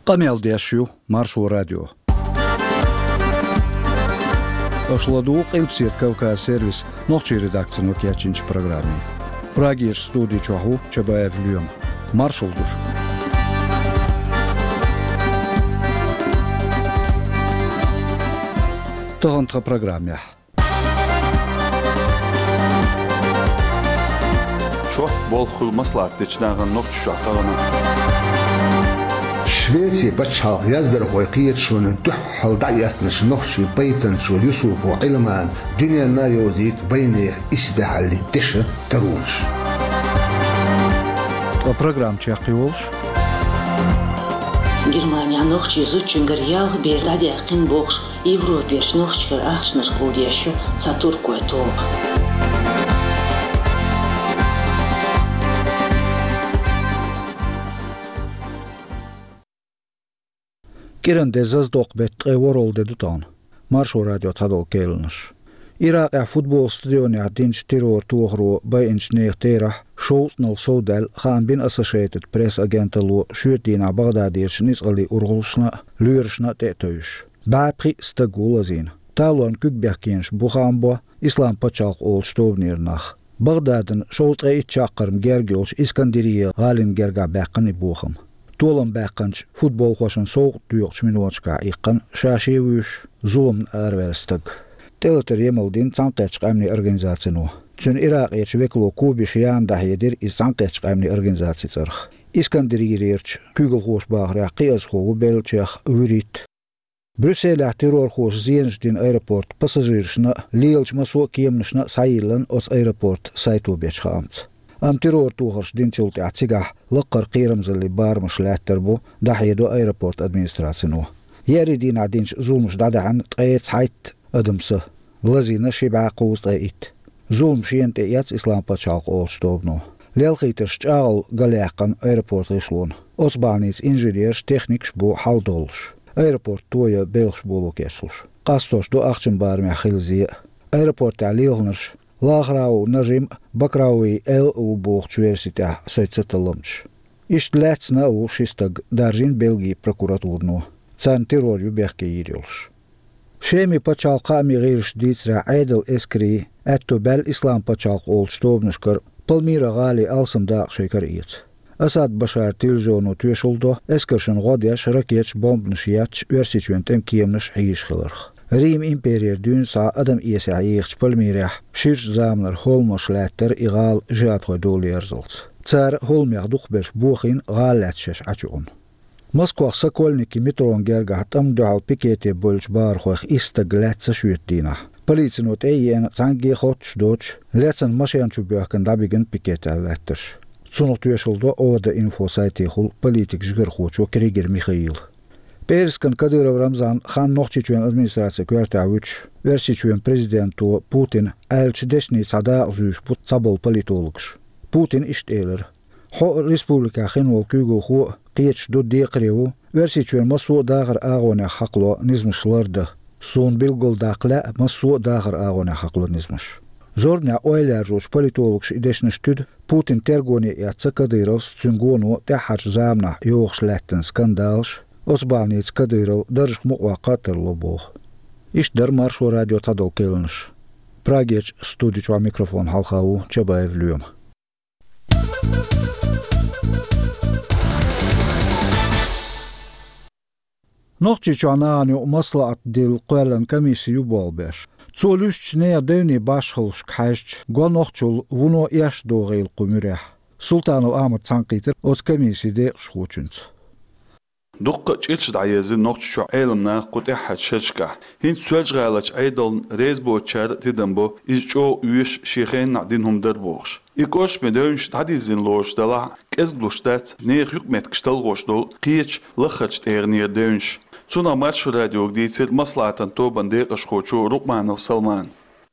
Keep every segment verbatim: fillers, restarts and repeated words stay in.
Къамел деш ю Маршо радио. Аша ладугӀу Къилбаседа Кавказ сервисан нохчийн редакцино кечйинчу программе. Прагерчу студи чохь ву Чабаев Лоьма. Маршалла ду шуьга. Тахана тхан программехь. Шортта болх хуьлу маслаӀат дечу нахана Нохчийчохь тахана. Швецин пачхьалкхан яздархойн кхеташонна дуьххьал дӀаэцначу нохчийн пайтанчо Юсупов Ӏилмана дуьненна а йовзийта вайнехан исбаьхьаллин дешан таронаш. Ткъа программа чекхйолуш. Германехь нохчийн зудчуьнгара ялх бер дӀадаьккхина бохуш, Европерчу нохчашкара ахчанаш кхуллуш ю цхьа туркойн тоба. КӀиран де зазадоккху беттан ткъе ворхӀалгӀа де ду тахана. Маршо радион цхьадолу керланаш. Иракъехь футбол стадионехь динчу террор тохаро байинчу нехан терахь шовзткъанал совдаьлла хаам бина Associated Press агенталло шоьтан дийнахь Багъдадерчу ницкъаллин урхаллашна а, лоьрашна а тӀе а тевжаш. БӀе пхиъ стаг ву лазийна. Талорна куьг бехкенаш бу хаам бо Исламан пачхьалкх олучу тобанера нах. Багъдадна шовзткъе итт чаккхарма герга йолчу Искандерия гӀалина гергахь баьккхина и бохам. Толам баьккхинчу футболхошна совгӀат доькъучу миноташкахь иккхина ша-шен вуьйш зуламна араваьлла стаг. ТӀелатар емал дина Цхьаьнакхеттачу Къаьмнийн Организацино. Цуьнан Иракъерчу векало Кубиш Яна дӀахьедира иза Цхьаьнакхеттачу Къаьмнийн Организацин цӀарах. Искандерийрерчу куьйгалхоша бахарехь, кхиазхо ву беллачех вуьрхӀитта. Брюсселехь террорхоша зенаш дина аэропортан пассажирашна а, лелачу массо а кеманашна а схьайиллина оцу аэропортан сайто бечу хаамца. Амма террор тохарш динчул тӀаьхьа цигахь лаккхара кхерамзаллин барамаш лаьттар бу, дӀахьедо аэропортан администрацино. Еарин дийнахь динчу зуламаша дӀадаьхьна ткъе цхьайтта адам са, лазийна ши бӀе кхузткъе итт. Зулам шена тӀеэцна Исламан пачхьалкх олучу тобано. Лелхийтарш чӀагӀо галъяьккхина аэропортан гӀишлонна. Оцу бахьаница инженераш, техникаш бу хьаладоллуш, аэропорт тоян белхаш боло кечлуш. Къастош ду ахчанан барамехь хилла зе а. Аэропортехь лелхинарш Лахрау Нажим а, Бакрауи Эл а ву бохучу верси тӀехь соьца талламчаш. Иштта лаьцна а ву ши стаг, даржийна Бельгин прокуратурано. Царна террор ю бехке йийр йолуш. Шеман пачхьалкхан хаамийн гӀирсаша дийцарехь, Ӏедалан эскарийн аьтто баьлла Исламан пачхьалкх олучу тобанашкара Пальмира гӀалин алсам дакъа шайн кара эца. Асад Башаран телевизионо тоьшалла до эскаршна гӀо деш, ракеташ, бомбанаш етташ, Оьрсийчоьнан тӀеман кеманаш хьийзаш хиларх. Риман имперера дуьйна схьа адам эсехь ехачу Пальмирехь ширачу заманара хӀолламаш лаьттара и гӀала жихӀадхойн дола ерзалц. Цара хӀолламех дукхахберш бохийна, гӀала лаьцна шаьш Ӏачу юкъана. Москвахь Сокольники метрон гергахь тӀамна дуьхьал пикете бевллачу бахархойх исс стаг лаьцна шоьтан дийнахь. Полицино тӀе а еана, цхьаьнгге а хоттуш доцуш, лецна машен чу боьхкина дӀабигина пикетехь лаьттарш. Цунах тоьшалла до Охта.Инфо сайтехула политикан жигархочо Кригер Михаила. ПӀераскан Кадыров Рамзан хан Нохчийчоьнан администрацин коьртехь вуьтуш, Оьрсийчоьнан президенто Путина аьллачу дешнийн цхьа дакъа зуьйш бу цхьаболу политологаш. Путина иштта элира: «Хьо а, республикехь хин волу куьйгалхо а кхеташ ду, декхаре ву, Оьрсийчоьнан массо а дахаран агӀонех хьакхало низамаш лардан. Суна билгалдаккха лаьа массо а дахаран агӀонех хьакхало низамаш». Зорбанехь ойла яржочу политологаша и дешнаш туьду Путина тергоне эцна Кадыровс, цуьнан гоно тӀаьххьарчу заманахь йохуш лаьттина скандалаш, оцу бахьаница Кадыров даржах мукъаваккха а тарло боху. Иштта дара Маршо радион цхьадолу керланаш. Прагерчу студи чохь микрофон хьалха ву Чабаев Лоьма. Нохчийчохь нахана юкъа маслаӀат дилла кхоьллина комисси ю болх беш. Цо луьстучу нехан девнийн башхаллашка хьаьжча, го нохчалла вуно эшна догӀийла кху муьрехь. Султанов Ахьмада цхьаьнакхийтира оцу комиссин декъашхочуьнца. Дуккха а чӀирш дӀаерзира Нохчийчохь Ӏеламнаха кху тӀаьххьарчу шерашкахь. ХӀинца Соьлжа-ГӀаларчу Ӏедална реза боцучара а тидам бо, иза чӀогӀа оьшуш, шен хенахь дина хӀума дара бохуш. И кӀоршаме девнаш дӀадирзина лоруш делахь а, кӀезиг луш дац нехан юкъаметтигаш талхош долу кхечу лаххарчу тӀегӀанера девнаш. Цунах Маршо радиога дийцира маслаӀатан тобанан декъашхочо Рукъманов Салмана.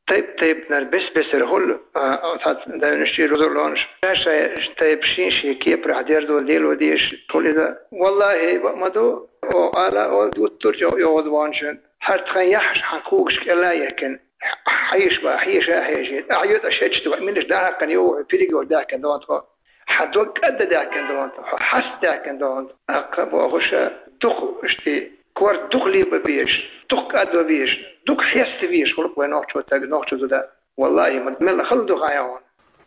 Тайп-тайпанара бес-бесара хуьлу, а, оцу девнаш чу рузулонаш. Ша-шайн тайпа шен-шен кепарахь дерзо лело дезаш хуьлу иза. Валлахьи, бакъ ма ду, оха ала а олу, дуттур а чӀогӀа йогӀуш ву хьуна шуна. ХӀара тхан яххьаш хьан когаш кӀела а яьккхина, хьеша бан, хьеша а хьешийта. Ахьа юьтӀа шечдо, минаш дӀахьаькхна йогӀу хьо, пилиго даьккхина догӀу тхо. Хьан дог кӀадда даьккхина догӀу, хьо хьаста даьккхина догӀу. Аккха бохуша, ду Дукха, иштта, корта дукха лебан безаш, дукха кӀадван безаш, дукха хеставан безаш хул-кх вай нохчо стаг, нохчо зуда. Валлахьи, ма мел хала ду хьайна.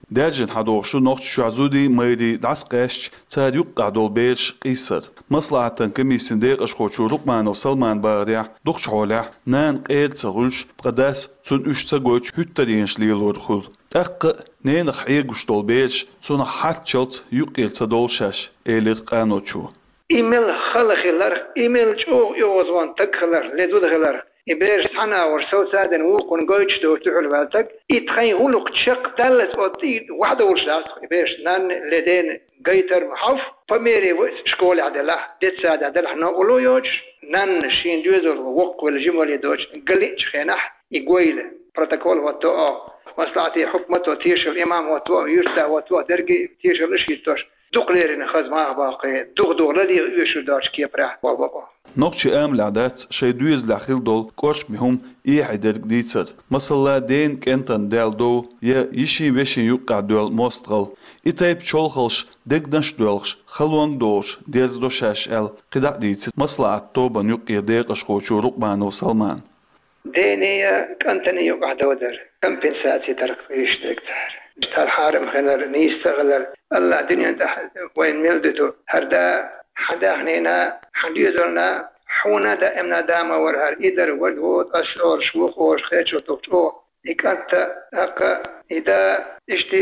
Даьржина хьадохуш ду Нохчийчохь зударий, майрий дӀасакъаьстича, цара юккъехь долу бераш къийсар. Маслахьатан комиссин декъашхочо Рукъманов Салмана бахарехь, дукхачу хьолехь нана къера ца хуьлуш, ткъа дас цунна уьш ца гойтуш хӀуьттаренаш лелор хуьлу. ТӀаккха а ненах хьегуш долу бераш цунах хьарччалц юккъера ца довлу шаьш, элира къаночо. И мел хала хиларх, и мел чӀогӀа оьгӀазвахна стаг хиларх, ле зуда хиларх, и бераш цхьана а вара сов ца дина вукхунна гойтуш доцу дуьхьал ваьлла стаг, и тхайн гӀуллакх чекхдаллалц оцу тӀе вахьа довлуш дац, и бераш нанна ле дена гайтар ма хьовха, по мере вай школехь делахь, детсадехь делахь новкъарло йоцуш, нанна шен доьзалхо воккхавелла жимале доцуш галиъчу хенахь, и гойла, протокол хӀотто оха, маслахьате хьукмато тешал, имам хӀотто оха, юьртда хӀотто оха, дерриге тешалаш хӀиттош, дукха леррина хаза маха баккхий, духа-духа лалийта оьшур доцчу кепарехь болх бо оха. Нохчийн амалехь дац шайн доьзалехь хилла долу кӀоршаме хӀума эхье дерг дийцар. Масала, дена кӀентана даьлла дов я йишин-вешин юккъехь доьлла мостагӀалла. И тайпа чолхалш дегнаш а доьлхуш, халонга а долуш дерзадо шаьш аьлла, кхидӀа а дийцира Маслахьатан тобанан юккъера декъашхочо Рукъманов Салмана. Дене я кӀантана юкъахь дов дар, компенсаци тарх йиш дерг цара. Тхьара хьарам хилар, нийса ца хилар, Аллахь дуьнен тӀехь вайна мел дуьту, хӀара да, хьан даьхнина, хьан доьзална, хьуна даимна да ма вара хӀара, и дар варг ву, ас олуш ву, олуш хечо тухучу оха. И кӀант а, тӀаккха и да, иштта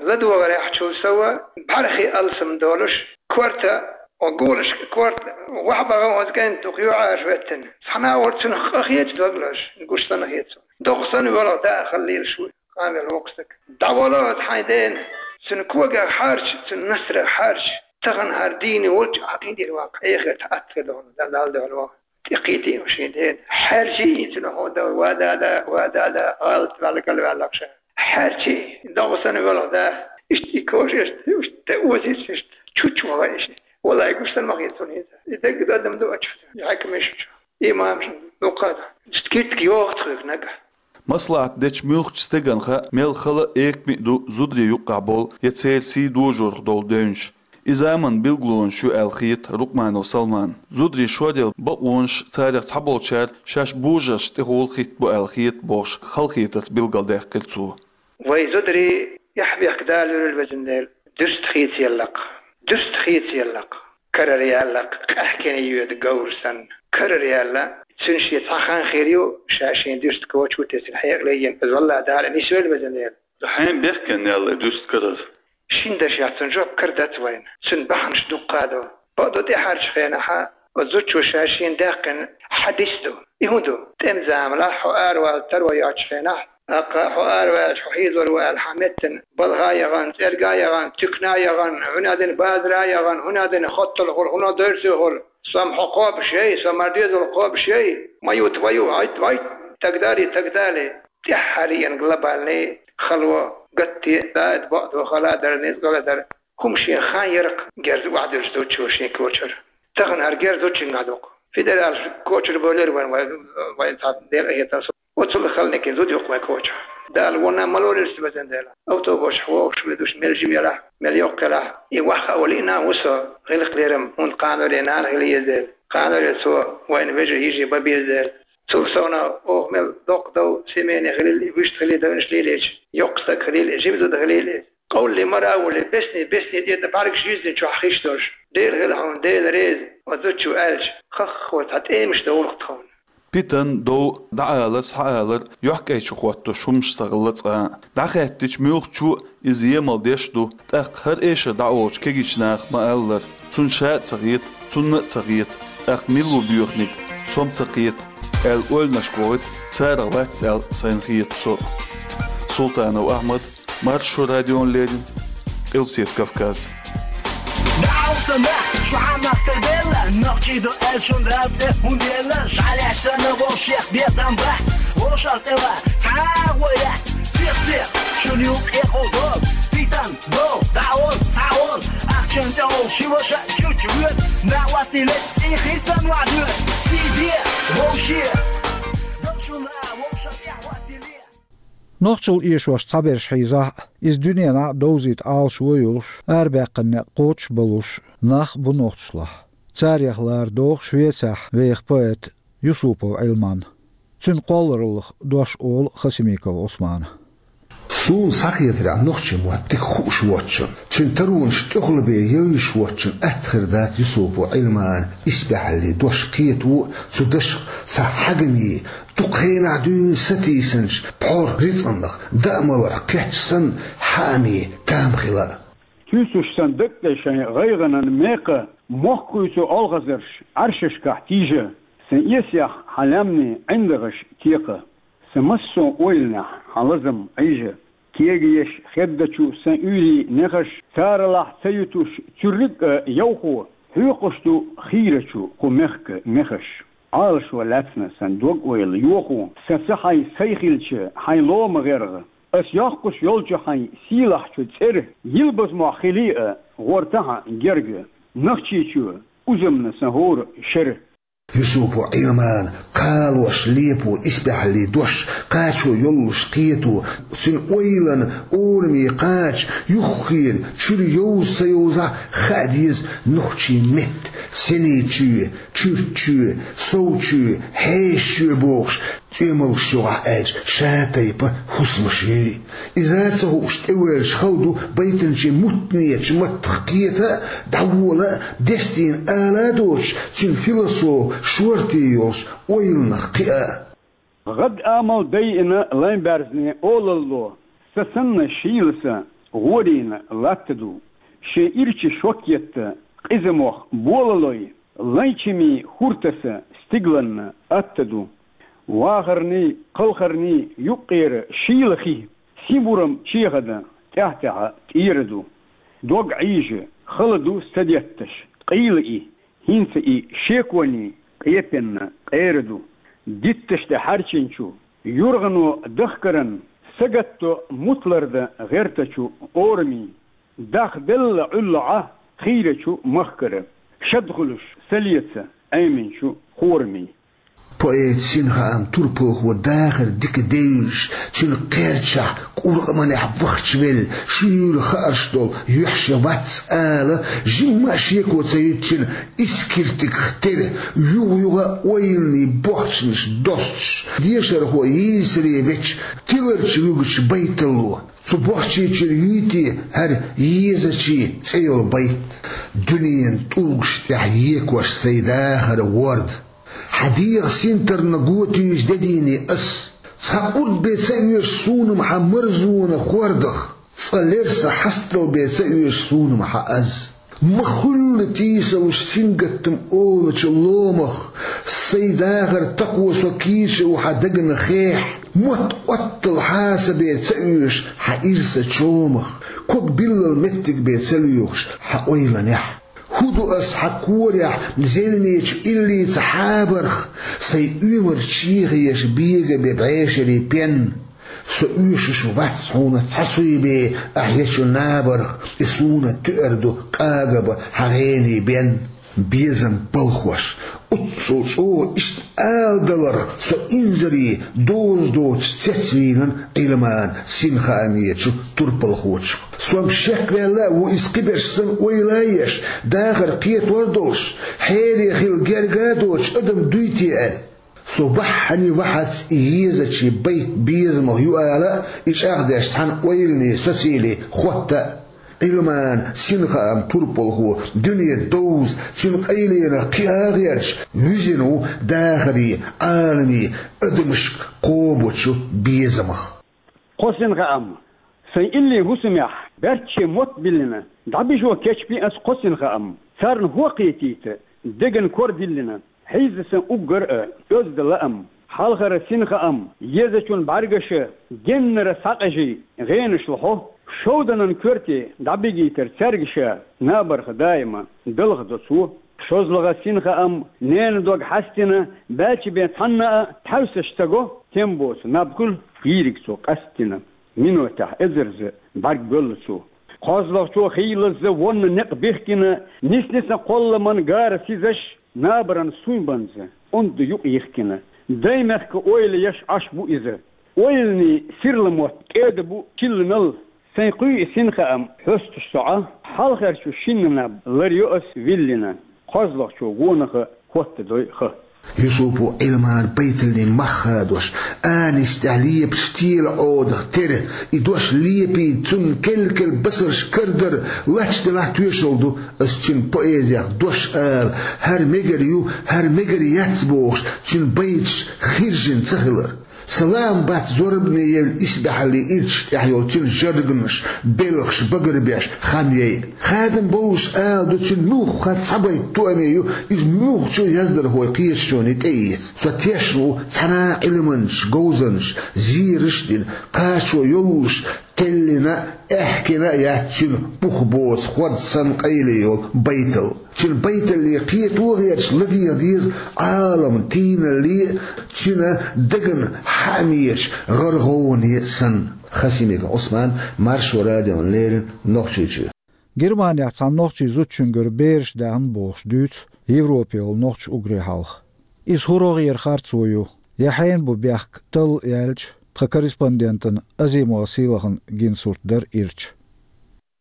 ладогӀарехь чул сова, бӀаьрхи алсам долуш, корта, о, гулаш, корта, вахьа бахана оцу кӀентан дукха юьхьӀаьржа веттина. Цхьана а вара цунах къа хеташ дог лозуш, гуш санна хета цунна. Доккха санна воьлху да а хала лелаш ву, къамел воккха стаг. ДӀавало аса хьайн дена, цуьнан когах хьарча, цуьнан насарах хьарча, тахана хӀара дийна волчу а хьан дийр ван, хьехар тхан атта хир дохуна, Далла дуьхьал ван. ТӀекхийти шен дена. Хьаьрчий цуьнан хьо дан, ва дада, ва дада, алат ваьлла, галваьлла ша. Хьаьрчий, догӀу санна воьлху да. Иштта и кожа, иштта, иштта озийца, иштта чучу ваха иштта. Валлай, гуш санна ма хета цунна хӀинца. И дерг адам ду ачу. Хьаькамаш чу. Имамаш дукха да. Иштта китка йогӀу тхоьга нагахь. Маслахьат дечу муьлххачу стеган хаа мел хала а, экаме а ду зударийн юккъехь болу я церан сий дожорах долу девнаш. И заманан билгалонаш ю аьлла хета Рукъманов Салмана. Зударийн шоръяла бакъонаш, царах цхьаболчара шаьш божаршна тӀехула хӀиттабо аьлла хета бохуш, халахетарца билгалдаьккхира цо. Вай зударий, эхь-бехк Дала луьйла везан Дела, дуьрста хийцаяллакх, дуьрста хийцаяллакх, карара яьллакх, къаьхкина йоьду говр санна. Карара яьлла, цуьнан шен цхьа хан хир ю, ша шен дуьрста коча ву те цуьнан хьекъале йина, иза валла Дала нисвелла везан Дела. Хьайн бехкенна яьлла дуьрста карара. Шина дашехь цуьнан жоп кара дац вайна. Цуьнан бахьанаш дуккха а ду. Бакъду тӀаьхьарчу хенахьа, оцу зудчо ша шена даьккхина хьадис ду. И хӀун ду? ТӀеман заманахь хьо аравала таро йоцучу хенахь, тӀаккха хьо араваьлча, хьо хьийзор ву аьлла, хьан меттана балха а яхана, цӀерга а яхана, туькана а яхана, хӀуна а дина базара а яхана, хӀуна а дина хоттал хуьлу, хӀуна а дерсий хуьлу. Со-м хьо кхобуш яй, со-м хӀара доьзал кхобуш яй. Мою, твою, айт, вайт, тагдали, тагдали. ТӀаьххьара еана глобальный хало, гатте, даида бакъдо, хала а дар, ницкъала а дар. ХӀума шен хан яра-кх герз охьадуьллуш зудчо шен кочара. Тахана хӀара герз зудчуьнгахь ду-кх. Федералаш кочара бовлира вайн, вайн, вайн цхьа декъа хетар со. Оццул хала некъан зуда ю-кх вайн кочахь. Дала вонна ма лолийла цу везан Дела. Автобусехь вогӀуш, ведуш, мел жима елахь, мел йоккха елахь. И ваха а вала лиъна а ву со, гӀиллакх-лерам, хӀунда кханоре нана хила еза дела. Кханоре цо вайна вежарий, йижарий бан беза дела. Цул совнаха оха мел доккха дов, семейный хилийла, вуьшта хилийла, девнаш лелийча, йоккха стаг хилийла, жима зуда хилийла, къовлале, мара а волий, бесни, бесни тӀе дан бӀаьргаш йизни чохь хиш долуш. Дела хила хьуна, Дела реза, оцу зудчо аьлча, хаххо цхьа тӀемаш довла-кх тхуна. Питана, дов, дӀаалар, схьаалар, йохкӀайчу хӀоттош хӀумаш ца хилла цкъа а. ДӀахаьттича муьлххачо а иза емал деш ду, тӀаккха хӀара эшар дӀаолучу кегийчу наха ма-аллара, цунна ша а ца хета, цунна а ца хета, тӀаккха мила ву боьханиг, со-м ца кхета, аьлла ойланашка вохуьйту, царах вац аьлла сайна хета со. Султанов Ахьмад, Маршо радиона леррина, Къилбаседа Кавказ. Даьлла сан нах, шу хьан нах тера белла, нохчий ду аьлла шун Дала цӀе хӀунда елла, жӀаьлеш санна вовшех безам бац, вовшах тӀе ван цхьа а гӀо яц, сих-сих шуна юкъе хӀу дол, питан дов, дӀаол, схьаол, ахчан тӀехула ши ваша чучу воьду, накъостий летта цӀий хийцан вахьа доьду, сий де, вовше, дал шуна вовшах тӀе хӀоттиле. Нохчалла эшош цхьаберш хьийзахь а, иза дуьненахь а довзийта Ӏалашо а йолуш, арабаьккхина некъ кхочуш а болуш нах а бу нохчашлахь. Царех лара догӀу Швецехь веха поэт Юсупов Ӏилман. Цуьнан кхоллараллах дош олу Хасимиков Ӏусмана. Суна схьахетарехь, нохчийн мотт дика хууш воцчунна, цуьнан таронаш тӀехула бен евзаш воцчунна атта хир дац Юсупов Ӏилманан исбаьхьаллин дош кхето а, цу дашах цхьа хьагамийн, дукха хенахь дуьйна сатийсанчу пхьор рицкъанах, даа маларх кхетча санна, хьаамийн там хила а. Туьйсуш сан дагтӀе шайн гӀайгӀанан мекха, мохк хуьйцу олхазарш Ӏаьршашкахь тийжа, сан эсех хьан лаьмнийн ӀиндагӀаш текха, сан массо а ойланехь хьан лазам Ӏийжа. Кегаеш хеддачу сан уьйрийн нехаш, царалахь ца ютуш цуьрриг а йовхо, хьоькхуш ду хийрачу кху мехкан мехаш. Ӏалашо лаьцна сан дог-ойла йохо, сан ца хьай сай хилча хьайн лома гӀергӀа. Ас йоккхуш йолчу хьайн сийлахьчу цӀера, йилбаза мохь хилий а, гӀортахьа герга, Нохчийчоь, узамна сан хӀора шера. Юсупов Ӏилман кхалош лепо исбаьхьаллин дош, кхачо йоллуш кхето, цуьнан ойланан ораме кхача, юххера чуьра йовза ца йовзахь, хаа деза нохчийн меттан сенечоь, чуьрччоь, совчоь, хьешачоь бохуш, цӀоьмалгаш юкъахь аьлча, шатайпа хӀусамаш юй. Иза ца хууш тӀевоьллачу хала ду байтанчийн муьтӀахь маттах кхета а, дӀавола а, дестийна ала а доцуш, цуьнан философ шорта йолуш ойланах кхиа а. ГӀадамал дайина лайн баьрзне олалло, сан санна шийла сан гӀорийна латта ду. Шен ирча шок етта къиза мох болалой, лайн чимийн хӀур таса стигланна атта ду. Вахарний, кхалхарний юккъера шийла хи, сибурам чехада тӀаьхь-тӀаьхьа тӀера ду. Дог Ӏийжа, хала ду са детташ, къийла и, хӀинца и шеконий къепенна къера ду. Дитташ тӀе хьаьрчинчу юргӀано дахкаран сагатто мутларда гӀертачу орамийн. Дахделла Ӏуьллу Ӏа хийрачу махкара, шад хуьлуш са леца Ӏеминчу хорамийн. Поэт Синхаам турпалхо дахар дика девзаш, цуьнан кхерчахь, кӀуркъаманехь вахчавелла, шуьйра хаарш долу юьхь шен вац ала, жимма а шеко ца юьту цуьнан искиртигах тера, югӀа-югӀа ойланийн бохчанаш достуш, дешархо йийсаре веча, тиларчу вуьгучу байталло. Цу бохчийчуьра юьйти хӀара езачийн цӀе йолу байт? Дуьненан тӀулгаш тӀехь екош сайн дахар ворда. Хьан дегӀан синтарна го туьйсу дедийни ас. Цхьа урд бен ца оьшу суна-м хьан марзонан хордах, цкъа лерса хьастал бен ца оьшу суна-м хьан аз. Ма хуьллу тийсалуш сингаттам олучу ломах, сайн дахар такхо со кийча ву хьан дагна хехь. Мотт оттал хьасабе ца оьшу хьан ирса чомах, ког биллал меттиг бен ца лоьхуш хьан ойланехь. ХӀун ду ас хьан корехь зевнечу иллица хьабарх, сайн оьмар чехеша бега бен бӀешерийн пен? Со оьшуш вац хьуна цхьа суй бен ахь ечу набарх, и суна туьар ду къагабан хьан гӀенийн бен. Безам балхош, оццул чӀогӀа иштта ала даларх со инзаре доза доцуш цецвийна Ӏилман Синхаамечу турпалхочух. Со-м шекваьлла а ву иза кхиберш санна ойла а еш, дахар кхетор а долуш, хьере хила герга а доцуш адам дуй те аьлла. Со бахьане вахьац и езачийн байт безамах ю ала а, и чӀагӀдеш цхьана ойланийн социале хотта а. Ӏилман Синхаам турпалхо дуьне довза, цуьнан къайленах кхиа а гӀерташ, вуьзина ву дахарийн, Ӏаламийн, адамашка кхобучу безамах. Кхо Синхаам. Сайн иллийн хӀусамехь баьрчче мотт биллина, дӀабижо кечбина ас кхо Синхаам, царна хӀокхетийта деган кор диллина. Хьийза сан уггар а оьзда лаам, хьалхара Синхаам, езачун бӀаьргаша геннара схьакъежий гӀенаш лохьо, шовданан коьрте дӀабигийтар цаьрга ша, набарха даима далха до цо. ШозлагӀа Синхаам, ненан дог хьаьстина, баьлча бен цхьанна а тхьаьвсаш ца го, тем боцу наб хуьлу йийриг цо къастдина. Минотехь эзарза бӀаьрг боьллу цо. КхозлагӀчо хийлазза вонна некъ бихкина, нисни сан кхолламан гара сизаш, набаран суйбанза онда юкъ йихкина. Даймехка ойла еш Ӏаш бу иза. Ойланийн сирла мотт кӀеда бу чилланал, сайн кхуьй и Синхаам хьоьстуш со Ӏа, хьалхарчу шинна наб ларйо ас виллина. кхозлагӀчо гонаха хӀоттадой ха. Юсупо Ӏилман байталлин мах хадош, анис тӀехь лепаш тела Ӏодах тера, и дош лепийта цунна кел-кел басарш кардар лач делахь тоьшалла ду, ас цуьнан поэзех дош ала, хӀара мегар ю, хӀара мегар яц бохуш, цуьнан байташ хиржина ца хилар. Салам бац зорбане евлла исбаьхьаллин ирчаш тӀехь йолу цуьнан жарганаш, белхаш багарбеш, хан яй. Хадам боллуш ала ду цуьнан муьлхха цхьабайта тоаме ю, иза муьлххачу яздархойн кхеташоне тӀеэца. Со тешна ву цхьана а Ӏилманча говзанча зераш а дина, кхачо йоллуш, теллина, аьхкина а яц цуьнан бух боцу хӀорд санна къайле йолу байтал. Цуьнан байталле кхето а гӀерташ ладегӀа деза Ӏалам тийналле а, цуьнан дагна хаамечу гӀар-гӀовгӀане а санна. Хасимиков Ӏусман, Маршо радиона леррина, Нохчийчоь. Германехь цхьана нохчийн зудчуьнгара бераш даьхна бохуш дуьйцу Европехула нохчаша уггаре хьалха. Иза хӀун рогӀера харцо ю, я хьенан бу бехк талла яьлча, тхан корреспондентана Азимова Сийлахана гина сурт дара ирча.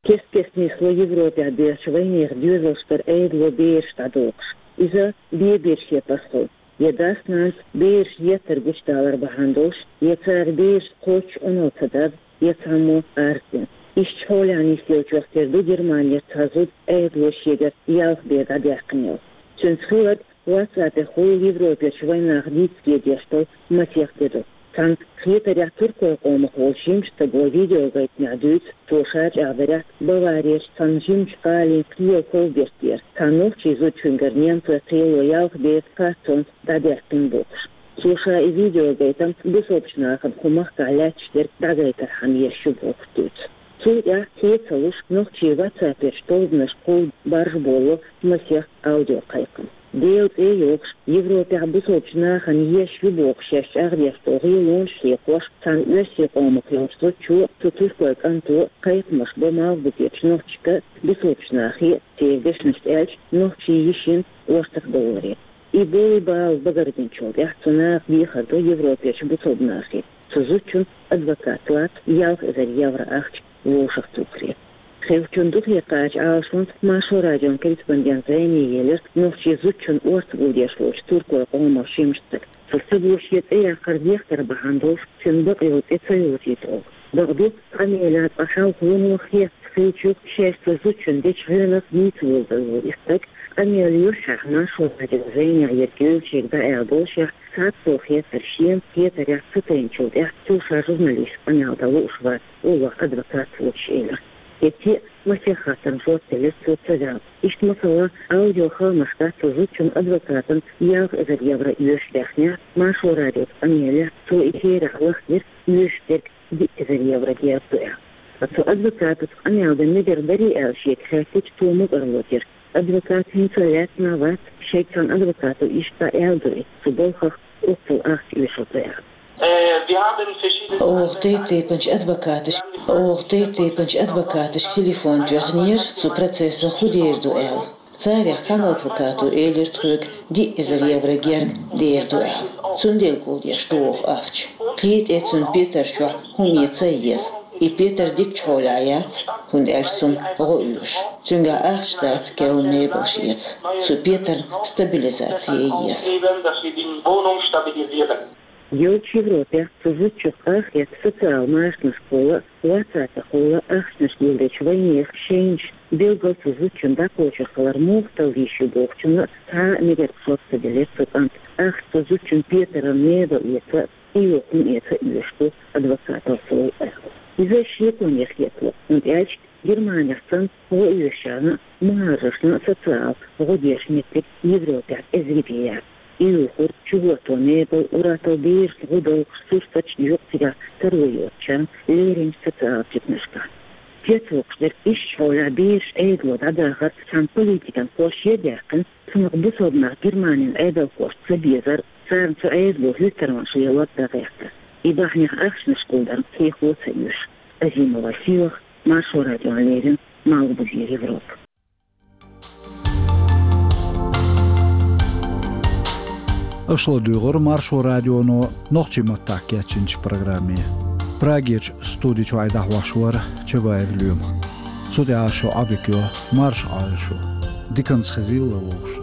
Кест-кеста нисло Европехь боьхучу вайнехан доьзалш тӀера Ӏедало бераш дӀадохуш. Иза бен-бен шен пасхьо. Я дас-нанас бераш еттар гучудалар бахьана долуш, я цара бераш кхоччуш Ӏуналла ца дар, я цхьаммо арз дина. Иштта хьолехь нисделлачех тера ду Германера цхьа зуда Ӏедало шегара ялх бен дӀадаьккхина йолу. Цуьнца хилларг WhatsApp-ехула Европерчу вайнаха дийцаге деш долу масех де ду. Цхьана хетарехь туркойн къомах волчу жимачу стага видеогайтамехь дуьйцу, цо ша чӀагӀдарехь, Баварерчу цхьана жимачу гӀалин кхелан ков бертера, цхьана нохчийн зудчуьнгара немцойн кхело ялх бен картонца дӀадаьккхина бохуш. Цо ша и видеогайтам бусалбачу нахана кху махкахь лаьтташ дерг дӀагайтархьама еш ю бохуш дуьйцу. Цул тӀаьхьа хье ца луш, нохчийн WhatsApp-ерчу тобанашкахула баржаболало масех аудиокхайкхам. Делан цӀе а йохуш, Европехь бусалбачу нахана еш ю бохуш шаьш чӀагӀдеш долу гӀелонаш а хьоькхуш, цхьана оьрсийн къомах йолчу зудчо, цу туркойн кӀанто кхайкхамаш бо Малхбузерчу нохчашка, бусалбачу нахе, церан дешнашца аьлча, нохчийн йишина ортах довларе. И болу бала багарбинчул тӀаьхьа цу наха дехар до Европерчу бусалба нахе, цу зудчун адвокат лаца ялх эзар евро ахча вовшахтухаре. Хевчун духе кхача Ӏалашонца Маршо радион корреспондент зӀене елира нохчийн зудчун орца гулдеш волчу туркойн къоман жимачу стага. Цу стага шен цӀе яккхар дехкар бахьана долуш, цуьнан бакъ йолу цӀе ца йовзуьйту оха. Бакъду, къамелехь цкъа хьалха вуно хеста хиллачух шаьш цу зудчунна дечу гӀирах нийса вовзар волу и стаг, къамел юьххьехь Маршо радион зӀенехь ерг йолчуьнга дӀааьлла болушехь, цхьацца хеттар шена хетарехь ца тайначул тӀаьхьа цо ша журналистка къамел дан лууш вац, олу адвокатца воцуш элира. ХӀетте а масех хаттарна жоп делира цо ца ваьлла. Иштта, масала, аудиохаамаш дац цу зудчун адвокатана ялх эзар евро оьшуш даьхнехь, Маршо радиоца къамелехь, цо и херехь лахдира оьшуш дерг диъ эзар евро деза ду аьлла. Ткъа цу адвокатаца къамел дан мегар дарий аьлла шега хаьттича, цо мукӀарло дира. Адвокат хӀинца лаьцна а вац, шайга цхьана адвокато иштта аьлла ду и, цу балхах оццул ахча оьшур ду аьлла. Э, wir haben verschiedene Оха тайп-тайпанчу адвокаташ, оха тайп-тайпанчу адвокаташка телефон тоьхнера, цу процессах хӀун дер ду аьлла. Царех цхьана адвокато элира тхоьга диъ эзар евро герга дер ду аьлла. Цундела гулдеш ду оха ахча. Кхин тӀе цуьнан петар чохь хӀума ян ца еза. И петар дикачу хьолехь яц, хӀунда аьлча цунна гӀо оьшу. Цуьнгахь ахча дац, керла мебелш эца. Цу петарна стабилизаци ян еза. Йолчу Европехь цу зудчух къахетта социал машанашкахула, WhatsApp-ахула ахчанаш гулдечу вайнехан шайнаш, билггал цу зудчун дӀакхочур хилар муха талла йиш ю бохучунна цхьа а мегар шорта ца делира цу кӀанта. Ахча цу зудчун петаран мебель эца, и юххун эца оьшуш ду адвокаталла аьлла. Иза шеконех хетало, хӀунда аьлча Германехь санна, гӀо оьшучарна а, мухӀажаршна а социал гӀо деш меттиг Европехь эзар бен яц. И юхур чугӀорто мебель, ур-атталла берашна гӀо довхуш сурсаташ юкъа цигахь таро йоцучарна леринчу социал чуьнашкахь. Цецвоккхуш дерг иштта хьолехь бераш Ӏедало дӀадахар цхьана политикан кхош ян даьккхина, цунах бусалба нах Германин Ӏедалхошца ца безар, царна цу Ӏедало хӀуьттармаш лелор дагахь хетар. И бахьанех ахчанаш гулдар кхехо ца оьшу. Азимова Сийлаха, Маршо радиона леррина, Малхбузера Европа. Аша ладуьйгӀира Маршо радионо нохчийн маттахь кечйинчу программе. Прагерчу студи чуьра дӀахьош вара Чабаев Лоьма. Цу тӀехь шу Ӏодика йо, марша Ӏойла шу. Диканца хезийла вовшашна.